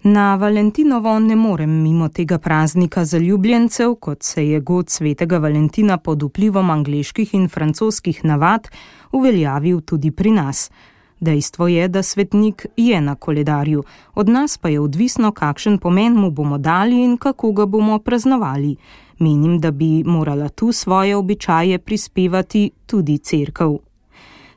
Na Valentinovo ne morem mimo tega praznika zaljubljencev, kot se je god svetega Valentina pod vplivom angleških in francoskih navad uveljavil tudi pri nas. Dejstvo je, da svetnik je na koledarju, od nas pa je odvisno, kakšen pomen mu bomo dali in kako ga bomo praznovali. Menim, da bi morala tu svoje običaje prispevati tudi cerkev.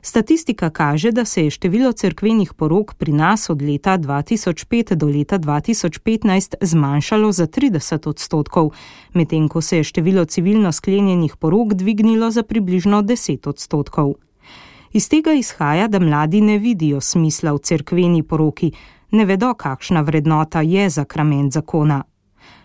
Statistika kaže, da se je število cerkvenih porok pri nas od leta 2005 do leta 2015 zmanjšalo za 30%, medtem ko se je število civilno sklenjenih porok dvignilo za približno 10%. Iz tega izhaja, da mladi ne vidijo smisla v cerkveni poroki, ne vedo, kakšna vrednota je zakrament zakona.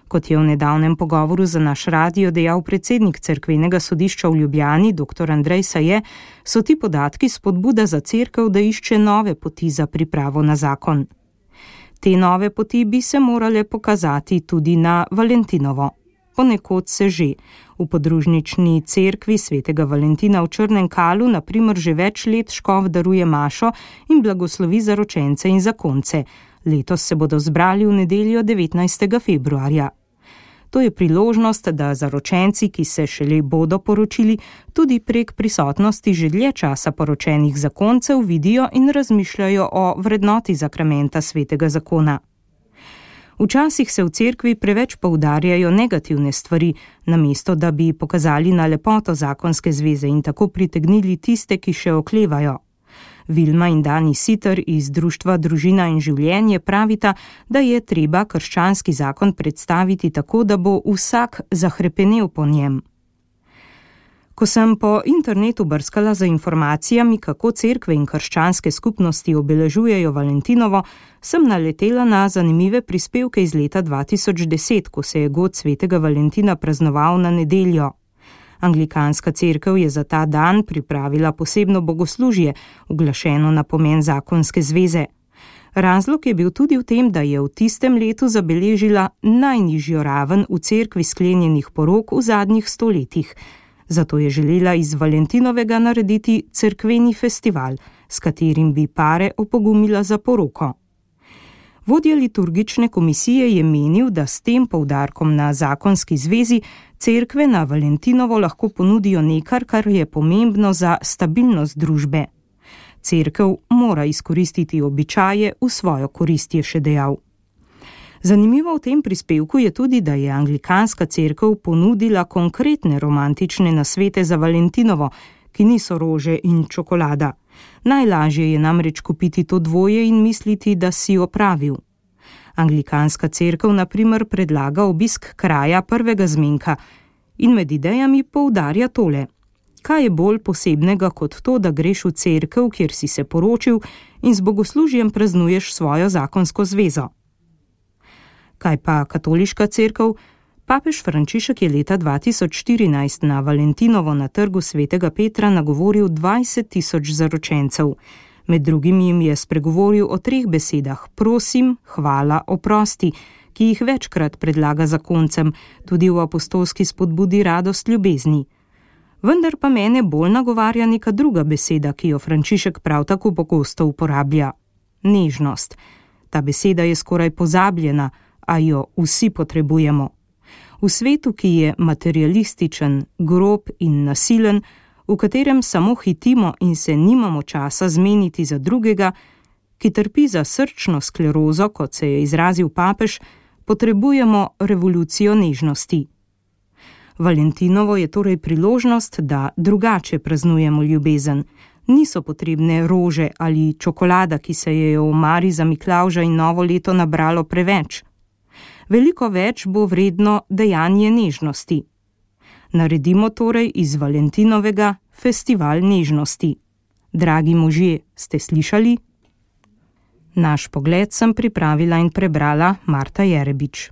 Kot je v nedavnem pogovoru za naš radio dejal predsednik cerkvenega sodišča v Ljubljani, dr. Andrej Saje, so ti podatki spodbuda za cerkev, da išče nove poti za pripravo na zakon. Te nove poti bi se morale pokazati tudi na Valentinovo. Ponekod se že. V podružnični cerkvi svetega Valentina v Črnem Kalu na primer že več let škof daruje mašo in blagoslovi zaročence in zakonce. Letos se bodo zbrali v nedeljo 19. februarja. To je priložnost, da zaročenci, ki se šele bodo poročili, tudi prek prisotnosti že dlje časa poročenih zakoncev vidijo in razmišljajo o vrednoti zakramenta svetega zakona. Včasih se v cerkvi preveč poudarjajo negativne stvari, namesto da bi pokazali na lepoto zakonske zveze in tako pritegnili tiste, ki še oklevajo. Vilma in Dani Siter iz društva Družina in življenje pravita, da je treba krščanski zakon predstaviti tako, da bo vsak zahrepenel po njem. Ko sem po internetu brskala za informacijami, kako cerkve in krščanske skupnosti obeležujejo Valentinovo, sem naletela na zanimive prispevke iz leta 2010, ko se je god svetega Valentina praznoval na nedeljo. Anglikanska cerkev je za ta dan pripravila posebno bogoslužje, uglašeno na pomen zakonske zveze. Razlog je bil tudi v tem, da je v tistem letu zabeležila najnižjo raven v cerkvi sklenjenih porok v zadnjih stoletjih. Zato je želela iz Valentinovega narediti cerkveni festival, s katerim bi pare opogumila za poroko. Vodja liturgične komisije je menil, da s tem poudarkom na zakonski zvezi cerkve na Valentinovo lahko ponudijo nekaj, kar je pomembno za stabilnost družbe. Cerkev mora izkoristiti običaje v svojo korist, je še dejal. Zanimivo v tem prispevku je tudi, da je anglikanska cerkev ponudila konkretne romantične nasvete za Valentinovo, ki niso rože in čokolada. Najlažje je namreč kupiti to dvoje in misliti, da si opravil. Anglikanska cerkev na primer predlaga obisk kraja prvega zmenka in med idejami poudarja tole. Kaj je bolj posebnega kot to, da greš v cerkev, kjer si se poročil in z bogoslužjem praznuješ svojo zakonsko zvezo? Kaj pa katoliška cerkev? Papež Frančišek je leta 2014 na Valentinovo na trgu svetega Petra nagovoril 20.000 zaročencev. Med drugim jim je spregovoril o 3 besedah: prosim, hvala, oprosti, ki jih večkrat predlaga zakoncem, tudi v apostolski spodbudi radost ljubezni. Vendar pa mene bolj nagovarja neka druga beseda, ki jo Frančišek prav tako pogosto uporablja: nežnost. Ta beseda je skoraj pozabljena, a jo vsi potrebujemo. V svetu, ki je materialističen, grob in nasilen, v katerem samo hitimo in se nimamo časa zmeniti za drugega, ki trpi za srčno sklerozo, kot se je izrazil papež, potrebujemo revolucijo nežnosti. Valentinovo je torej priložnost, da drugače praznujemo ljubezen. Niso potrebne rože ali čokolada, ki se je v omari za Miklavža in novo leto nabralo preveč. Veliko več bo vredno dejanje nežnosti. Naredimo torej iz Valentinovega festival nežnosti. Dragi možje, ste slišali? Naš pogled sem pripravila in prebrala Marta Jerebič.